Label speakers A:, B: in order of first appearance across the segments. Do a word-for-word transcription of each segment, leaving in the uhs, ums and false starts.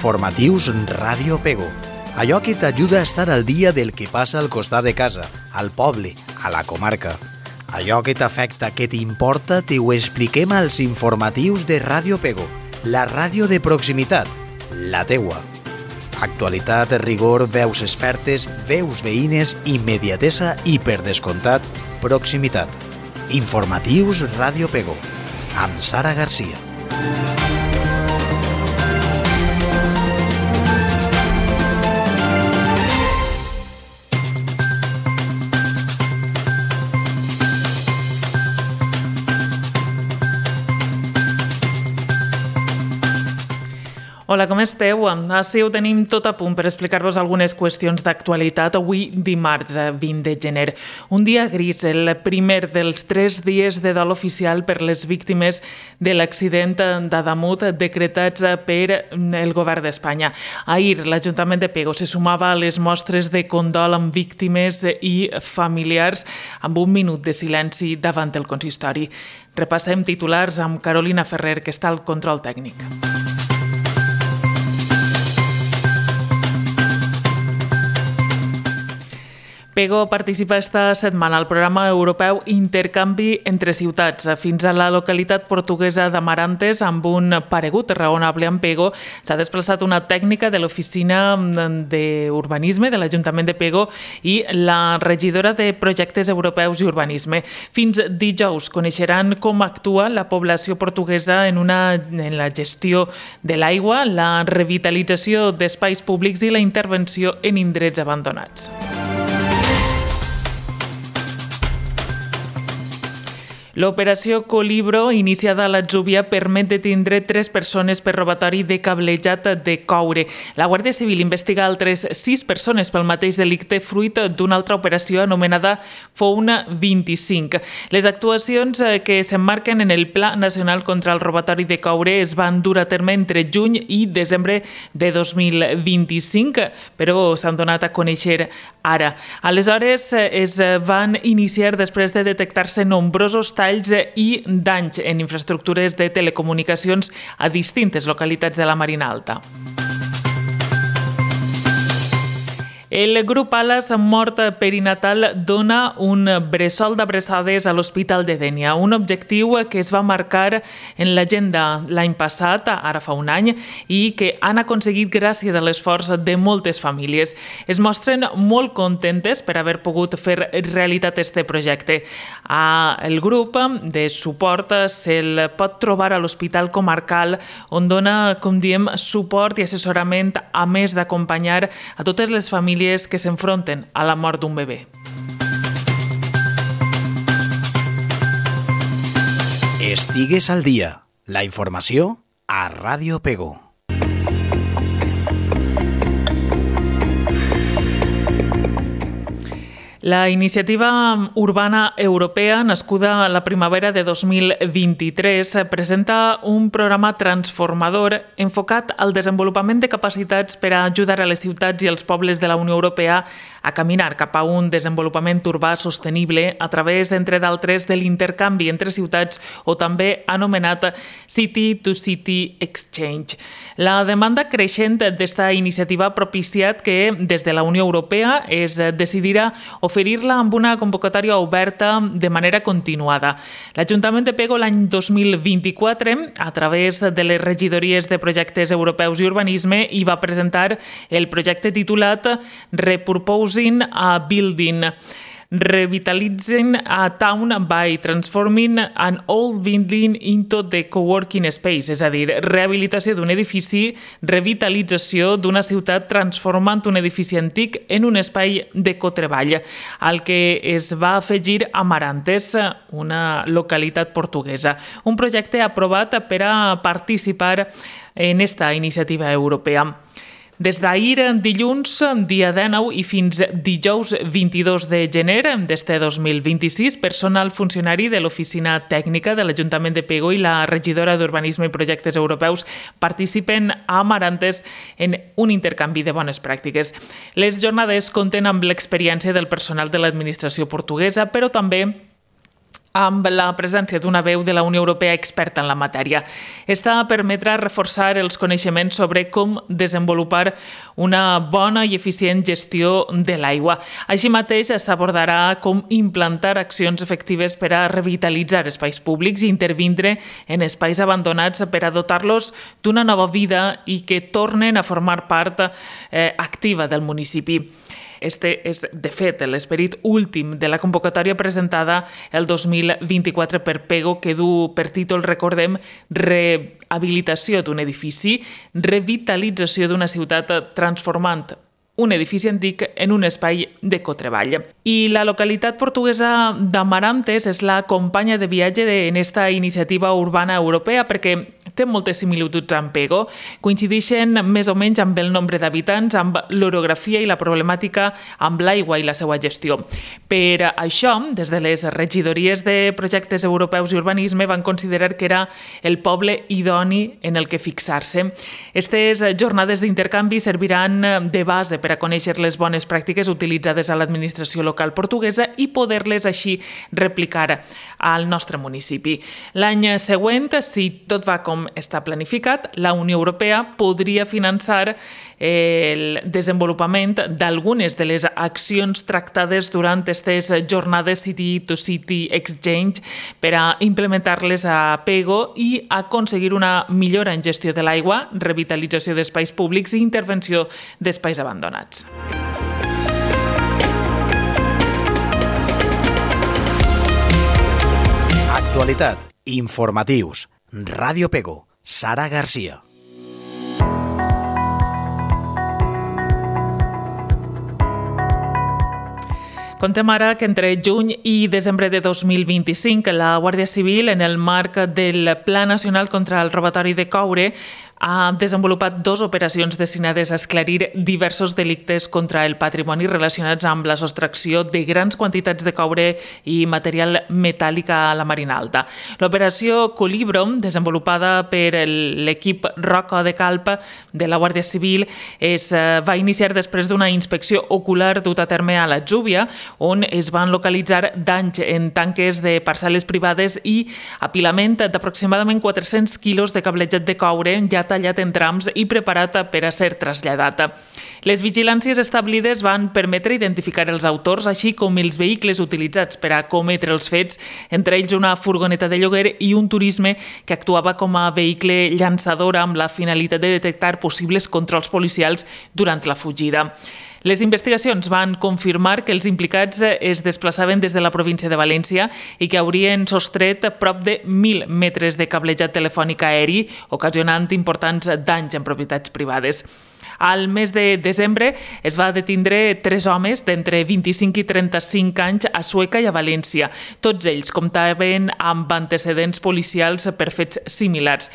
A: Informatius Ràdio Pego. Allò que t'ajuda a estar al dia del que passa al costat de casa, al poble, a la comarca. Allò que t'afecta, que t'importa, te ho expliquem als informatius de Ràdio Pego, la ràdio de proximitat, la teua. Actualitat, rigor, veus expertes, veus veïnes, immediatesa i, per descomptat, proximitat. Informatius Ràdio Pego, amb Sara Garcia.
B: Hola, com esteu? Així ho tenim tot a punt per explicar-vos algunes qüestions d'actualitat avui dimarts vint de gener. Un dia gris, el primer dels tres dies de dol oficial per les víctimes de l'accident d'Adamut decretats per el govern d'Espanya. Ahir l'Ajuntament de Pego se sumava a les mostres de condol amb víctimes i familiars amb un minut de silenci davant del consistori. Repassem titulars amb Carolina Ferrer, que està al control tècnic. Pego participa esta setmana al programa europeu Intercanvi entre ciutats. Fins a la localitat portuguesa d'Amarantes, amb un paregut raonable en Pego, s'ha desplaçat una tècnica de l'Oficina d'Urbanisme de l'Ajuntament de Pego i la regidora de Projectes Europeus i Urbanisme. Fins dijous coneixeran com actua la població portuguesa en, una, en la gestió de l'aigua, la revitalització d'espais públics i la intervenció en indrets abandonats. L'operació Colibro, iniciada a l'Atzúbia, permet detindre tres persones per robatori de cablejat de coure. La Guàrdia Civil investiga altres sis persones pel mateix delicte fruit d'una altra operació anomenada Founa vint-i-cinc. Les actuacions que s'emmarquen en el Pla Nacional contra el Robatori de Coure es van dur a terme entre juny i desembre de dos mil vint-i-cinc, però s'han donat a conèixer ara. Aleshores, es van iniciar després de detectar-se nombrosos talls i danys en infraestructures de telecomunicacions a distintes localitats de la Marina Alta. El grup Alas Mort Perinatal dona un bressol d'abraçades a l'Hospital de Dénia, un objectiu que es va marcar en l'agenda l'any passat, ara fa un any, i que han aconseguit gràcies a l'esforç de moltes famílies. Es mostren molt contentes per haver pogut fer realitat este projecte. El grup de suport se'l pot trobar a l'Hospital Comarcal, on dona, com diem, suport i assessorament, a més d'acompanyar a totes les famílies que s'enfronten a la mort d'un bebè.
A: Estigues al dia. La informació a Ràdio Pego.
B: La iniciativa urbana europea, nascuda a la primavera de dos mil vint-i-tres, presenta un programa transformador enfocat al desenvolupament de capacitats per a ajudar a les ciutats i els pobles de la Unió Europea a caminar cap a un desenvolupament urbà sostenible a través, entre d'altres, de l'intercanvi entre ciutats o també anomenat City to City Exchange. La demanda creixent d'esta iniciativa ha propiciat que des de la Unió Europea es decidirà oferir-la amb una convocatòria oberta de manera continuada. L'Ajuntament de Pego l'any dos mil vint-i-quatre, a través de les regidories de projectes europeus i urbanisme, hi va presentar el projecte titulat Repurposing a Building. Revitalitzing a Town by Transforming an Old Building into the Coworking Space, és a dir, rehabilitació d'un edifici, revitalització d'una ciutat transformant un edifici antic en un espai de cotreball, al que es va afegir Amarantes, una localitat portuguesa. Un projecte aprovat per a participar en esta iniciativa europea. Des d'ahir, dilluns, dia dinou, i fins dijous vint-i-dos de gener d'este dos mil vint-i-sis, personal funcionari de l'Oficina Tècnica de l'Ajuntament de Pego i la regidora d'Urbanisme i Projectes Europeus participen a Amarantes en un intercanvi de bones pràctiques. Les jornades compten amb l'experiència del personal de l'administració portuguesa, però també amb la presència d'una veu de la Unió Europea experta en la matèria. Esta permetrà reforçar els coneixements sobre com desenvolupar una bona i eficient gestió de l'aigua. Així mateix s'abordarà com implantar accions efectives per a revitalitzar espais públics i intervindre en espais abandonats per a dotar-los d'una nova vida i que tornen a formar part eh, activa del municipi. Este és, de fet, l'esperit últim de la convocatòria presentada el dos mil vint-i-quatre per PEGO, que du per títol, recordem, rehabilitació d'un edifici, revitalització d'una ciutat transformant un edifici antic en un espai de cotreball. I la localitat portuguesa d'Amarantes és la companya de viatge en esta iniciativa urbana europea perquè té moltes similituds amb PEGO, coincideixen més o menys amb el nombre d'habitants, amb l'orografia i la problemàtica amb l'aigua i la seva gestió. Per això, des de les regidories de projectes europeus i urbanisme van considerar que era el poble idoni en el que fixar-se. Aquestes jornades d'intercanvi serviran de base per a conèixer les bones pràctiques utilitzades a l'administració local portuguesa i poder-les així replicar al nostre municipi. L'any següent, si tot va com està planificat, la Unió Europea podria finançar el desenvolupament d'algunes de les accions tractades durant aquestes jornades City to City Exchange per a implementar-les a PEGO i aconseguir una millora en gestió de l'aigua, revitalització d'espais públics i intervenció d'espais abandonats.
A: Actualitat, informatius, Ràdio PEGO, Sara Garcia.
B: Contem ara que entre juny i desembre de dos mil vint-i-cinc la Guàrdia Civil, en el marc del Pla Nacional contra el Robatori de Coure, ha desenvolupat dues operacions destinades a esclarir diversos delictes contra el patrimoni relacionats amb la sostracció de grans quantitats de coure i material metàl·lic a la Marina Alta. L'operació Colibro, desenvolupada per l'equip Roca de Calp de la Guàrdia Civil, es va iniciar després d'una inspecció ocular dut a terme a la Júbia, on es van localitzar danys en tanques de parcel·les privades i apilament d'aproximadament quatre-cents quilos de cablejat de coure ja tallat en trams i preparat per a ser traslladat. Les vigilàncies establides van permetre identificar els autors, així com els vehicles utilitzats per a cometre els fets, entre ells una furgoneta de lloguer i un turisme que actuava com a vehicle llançador amb la finalitat de detectar possibles controls policials durant la fugida. Les investigacions van confirmar que els implicats es desplaçaven des de la província de València i que haurien sostret prop de mil metres de cablejat telefònic aeri, ocasionant importants danys en propietats privades. Al mes de desembre es va detindre tres homes d'entre vint-i-cinc i trenta-cinc anys a Sueca i a València. Tots ells comptaven amb antecedents policials per fets similars.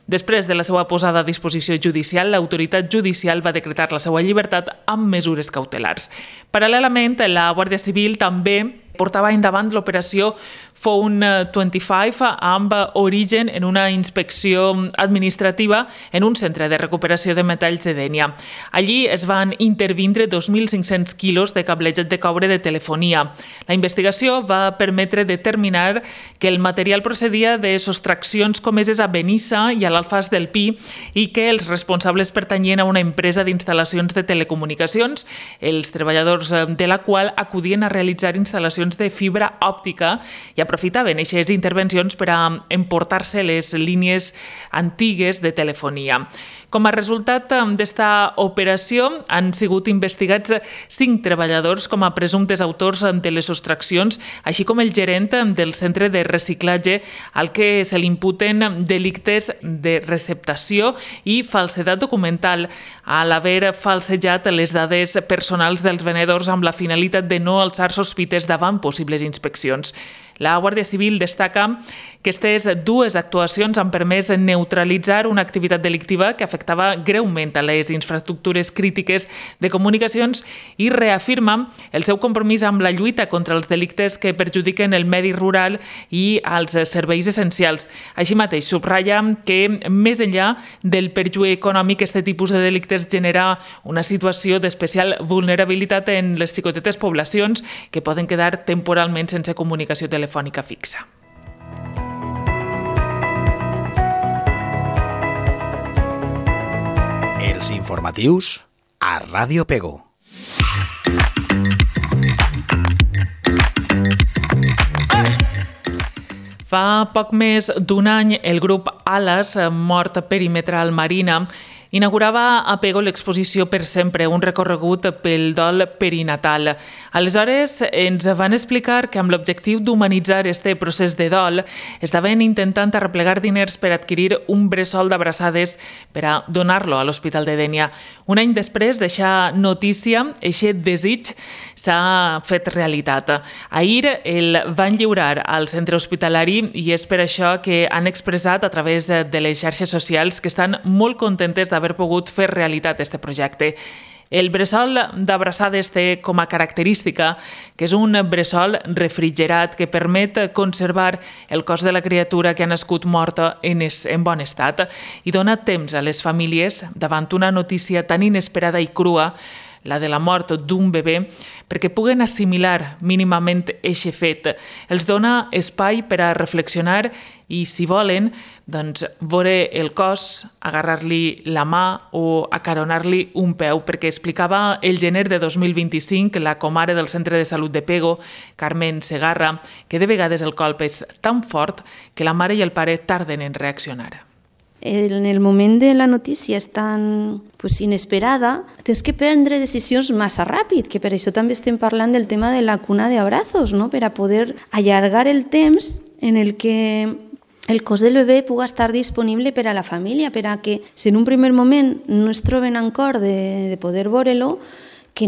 B: Després de la seva posada a disposició judicial, l'autoritat judicial va decretar la seva llibertat amb mesures cautelars. Paral·lelament, la Guàrdia Civil també portava endavant l'operació Phone vint-i-cinc amb origen en una inspecció administrativa en un centre de recuperació de metalls de Dénia. Allí es van intervindre dos mil cinc-cents quilos de cablejat de coure de telefonia. La investigació va permetre determinar que el material procedia de sostraccions comeses a Benissa i a l'Alfàs del Pi i que els responsables pertanyien a una empresa d'instal·lacions de telecomunicacions, els treballadors de la qual acudien a realitzar instal·lacions de fibra òptica i aprofitaven aquestes intervencions per a emportar-se les línies antigues de telefonia. Com a resultat d'esta operació han sigut investigats cinc treballadors com a presumptes autors de les sostraccions, així com el gerent del centre de reciclatge al que se li imputen delictes de receptació i falsedat documental a l'haver falsejat les dades personals dels venedors amb la finalitat de no alçar sospites davant possibles inspeccions. La Guàrdia Civil destaca que aquestes dues actuacions han permès neutralitzar una activitat delictiva que afectava greument a les infraestructures crítiques de comunicacions i reafirma el seu compromís amb la lluita contra els delictes que perjudiquen el medi rural i els serveis essencials. Així mateix, subratlla que, més enllà del perjuí econòmic, aquest tipus de delictes genera una situació d'especial vulnerabilitat en les xicotetes poblacions que poden quedar temporalment sense comunicació telefònica telefònica fixa.
A: Els informatius a Ràdio Pego.
B: Fa poc més d'un any, el grup Alas, Mort Perimetral Marina, inaugurava a Pego l'exposició Per sempre, un recorregut pel dol perinatal. Aleshores, ens van explicar que amb l'objectiu d'humanitzar este procés de dol estaven intentant arreplegar diners per adquirir un bressol d'abraçades per a donar-lo a l'Hospital de Dénia. Un any després d'eixa notícia, aquest desig s'ha fet realitat. Ahir el van lliurar al centre hospitalari i és per això que han expressat a través de les xarxes socials que estan molt contentes d'haver pogut fer realitat aquest projecte. El bressol d'abraçades té com a característica que és un bressol refrigerat que permet conservar el cos de la criatura que ha nascut morta en, es, en bon estat i dona temps a les famílies davant una notícia tan inesperada i crua, la de la mort d'un bebè, perquè puguen assimilar mínimament eixe fet. Els dona espai per a reflexionar i, si volen, doncs, veure el cos, agarrar-li la mà o acaronar-li un peu, perquè explicava el gener de dos mil vint-i-cinc la comare del Centre de Salut de Pego, Carmen Segarra, que de vegades el colp és tan fort que la mare i el pare tarden en reaccionar.
C: En el moment de la notícia és tan pues, inesperada, tens que prendre decisions massa ràpid, que per això també estem parlant del tema de la cuna d'abrazos, no? Per a poder allargar el temps en el que el cos del bebè pugui estar disponible per a la família, per a que si en un primer moment no es troben en cor de, de poder veure-lo, que,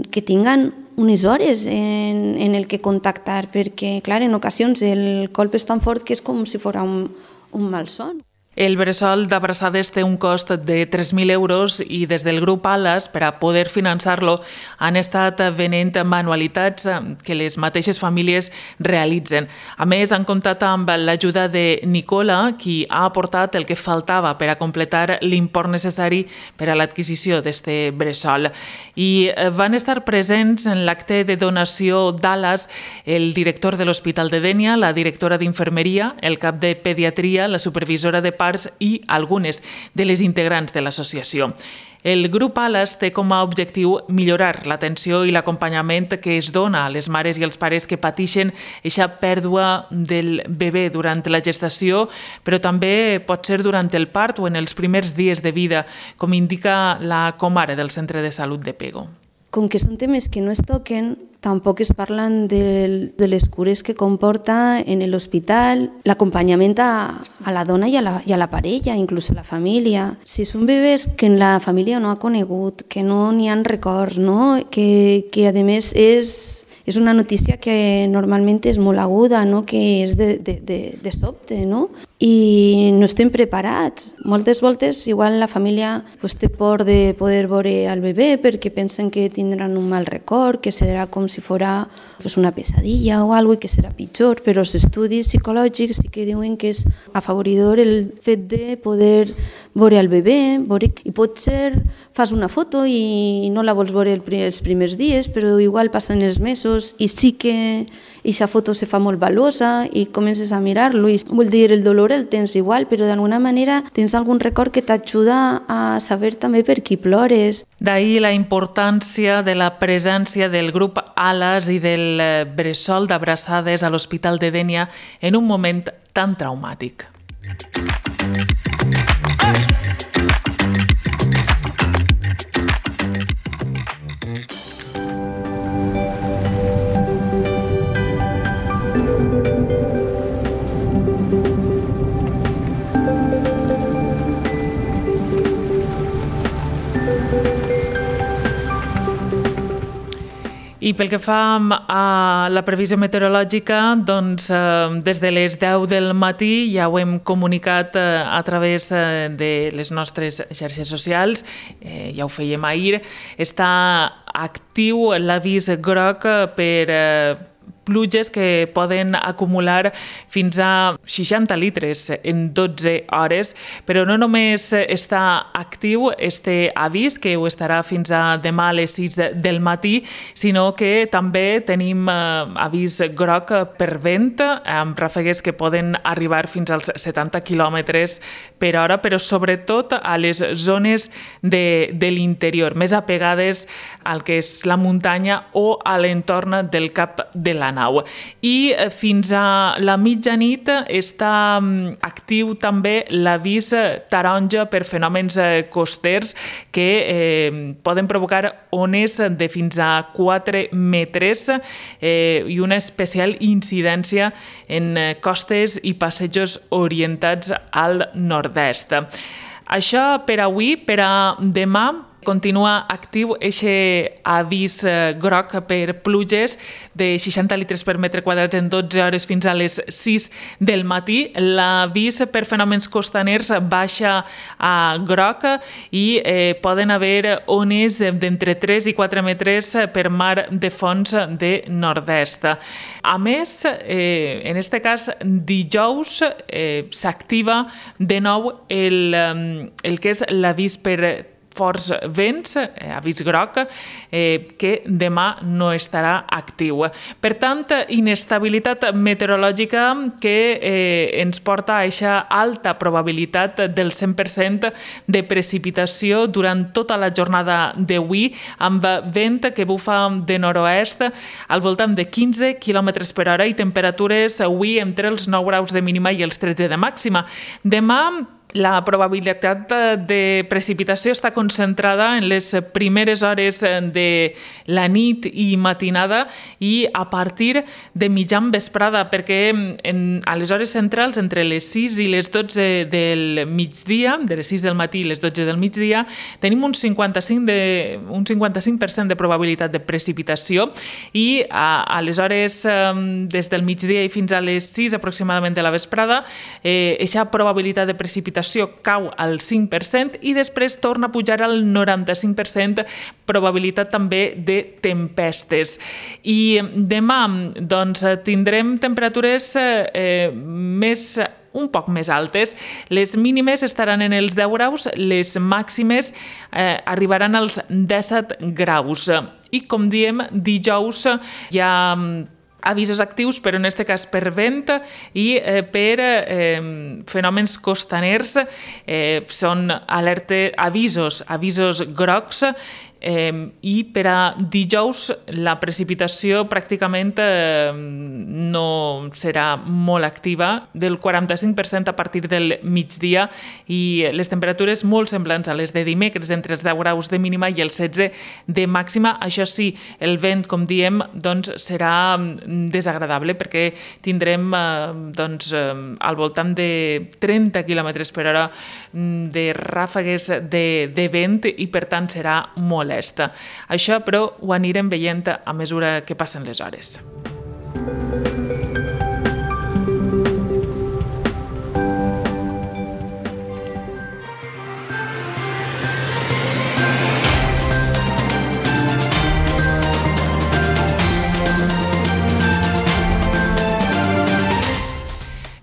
C: que tinguen unes hores en, en el que contactar, perquè, clar, en ocasions el colp és tan fort que és com si fos un, un malson.
B: El bressol d'abraçades té un cost de tres mil euros i des del grup Alas, per a poder finançar-lo, han estat venent manualitats que les mateixes famílies realitzen. A més, han comptat amb l'ajuda de Nicola, qui ha aportat el que faltava per a completar l'import necessari per a l'adquisició d'aquest bressol. I van estar presents en l'acte de donació d'Alas el director de l'Hospital de Dénia, la directora d'Infermeria, el cap de Pediatria, la supervisora de parts i algunes de les integrants de l'associació. El grup Alas té com a objectiu millorar l'atenció i l'acompanyament que es dona a les mares i els pares que pateixen aquesta pèrdua del bebè durant la gestació, però també pot ser durant el part o en els primers dies de vida, com indica la comare del Centre de Salut de Pego.
C: Com que són temes que no es toquen, tampoc es parlen de, de les cures que comporta en l'hospital, l'acompanyament a, a la dona i a la, i a la parella, inclús a la família. Si són bebès que la família no ha conegut, que no n'hi ha records, no? que, que a més és, és una notícia que normalment és molt aguda, no? Que és de, de, de, de sobte, no? I no estem preparats. Moltes voltes igual la família pues, té por de poder veure el bebè perquè pensen que tindran un mal record, que serà com si fora pues, una pesadilla o alguna cosa i que serà pitjor, però els estudis psicològics sí que diuen que és afavoridor el fet de poder veure el bebè, veure, i potser fas una foto i no la vols veure els primers dies, però igual passen els mesos i sí que aquesta foto se fa molt valuosa i comences a mirar-lo i vol dir el dolor el tens igual, però d'alguna manera tens algun record que t'ajuda a saber també per qui plores.
B: D'ahir la importància de la presència del grup Alas i del bressol d'abraçades a l'Hospital de Dénia en un moment tan traumàtic. I pel que fa a la previsió meteorològica, doncs des de les deu del matí ja ho hem comunicat a través de les nostres xarxes socials, ja ho fèiem ahir, està actiu l'avís groc per pluges que poden acumular fins a seixanta litres en dotze hores, però no només està actiu este avís, que ho estarà fins a demà a les sis del matí, sinó que també tenim avís groc per vent, amb ràfegues que poden arribar fins als setanta quilòmetres per hora, però sobretot a les zones de, de l'interior, més apegades al que és la muntanya o a l'entorn del cap de la nau. I fins a la mitjanit està actiu també l'avís taronja per fenòmens costers que eh, poden provocar ones de fins a quatre metres eh, i una especial incidència en costes i passejos orientats al nord-est. Això per avui, per a demà, continua actiu eixe avís groc per pluges de seixanta litres per metre quadrat en dotze hores fins a les sis del matí. L'avís per fenòmens costaners baixa a groc i eh, poden haver ones d'entre tres i quatre metres per mar de fons de nord-est. A més, eh, en aquest cas, dijous eh, s'activa de nou el, el que és l'avís per forts vents, eh, avís groc, eh, que demà no estarà actiu. Per tant, inestabilitat meteorològica que eh, ens porta a aquesta alta probabilitat del cent per cent de precipitació durant tota la jornada d'avui, amb vent que bufa de nord-oest al voltant de quinze quilòmetres per hora i temperatures avui entre els nou graus de mínima i els tretze de màxima. Demà, la probabilitat de precipitació està concentrada en les primeres hores de la nit i matinada i a partir de mitjan vesprada, perquè en, a les hores centrals, entre les sis i les dotze del migdia, de les sis del matí i les dotze del migdia, tenim un cinquanta-cinc de, un cinquanta-cinc per cent de probabilitat de precipitació i a, a les hores des del migdia i fins a les sis aproximadament de la vesprada, eh, aquesta probabilitat de precipitació cau al cinc per cent i després torna a pujar al noranta-cinc per cent, probabilitat també de tempestes. I demà doncs, tindrem temperatures eh, més un poc més altes. Les mínimes estaran en els deu graus, les màximes eh, arribaran als disset graus. I com diem, dijous hi ha avisos actius, però en aquest cas per vent i eh, per eh, fenòmens costaners. Eh, són alerta, avisos, avisos grocs, Eh, i per a dijous la precipitació pràcticament eh, no serà molt activa, del quaranta-cinc per cent a partir del migdia, i les temperatures molt semblants a les de dimecres, entre els deu graus de mínima i els setze de màxima. Això sí, el vent, com diem, doncs, serà desagradable perquè tindrem eh, doncs, eh, al voltant de trenta quilòmetres per hora de ràfegues de, de vent i per tant serà molt molesta. Això, però, ho anirem veient a mesura que passen les hores.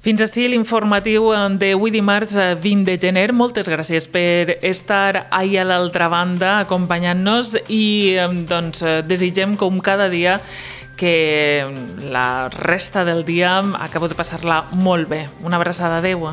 B: Fins ací l'informatiu d'avui dimarts vint de gener. Moltes gràcies per estar ahí a l'altra banda acompanyant-nos i doncs, desitgem com cada dia que la resta del dia acabo de passar-la molt bé. Una abraçada, adeu.